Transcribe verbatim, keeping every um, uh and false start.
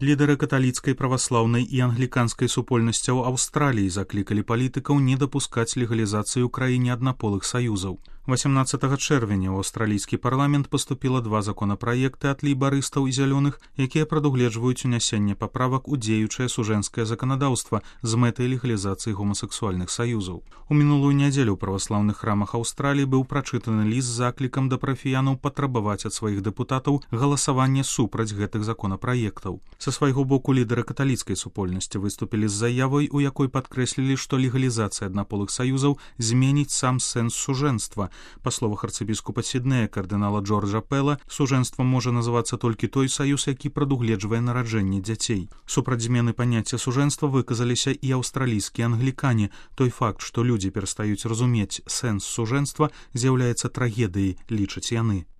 Лідары каталіцкай, праваслаўнай і англіканскай супольнасцяў Аўстраліі заклікалі палітыкаў не дапускаць легалізацыю ў краіне аднаполых саюзаў. восемнадцатага чэрвеня ў аўстралійскі парламент паступіла два законапраекты ад лейбарыстаў і зялёных, якія прадугледжваюць унясенне паправак у дзеючае сужэнскае заканадаўства з мэтай легалізацыі гомасексуальных саюзаў. У мінулую нядзелю ў праваслаўных храмах Аўстраліі быў прачытаны ліст з заклікам да парафіянаў патрабаваць ад сваіх дэпутатаў галасаванне супраць гэтых законапраектаў. Са свайго боку лідары каталіцкай супольнасці выступілі з заявай, у якой падкрэслілі, што легалізацыя аднаполых саюзаў зменіць сам сэнс сужэнства. Па словах арцыбіскупа Сіднея кардынала Джорджа Пэла, сужэнствам можа называцца толькі той саюз, які прадугледжвае нараджэнне дзяцей. Супраць змены паняцця сужэнства выказаліся і аўстралійскія англікане. Той факт, што людзі перастаюць разумець сэнс сужэнства, з'яўляецца трагедыяй, лічаць яны.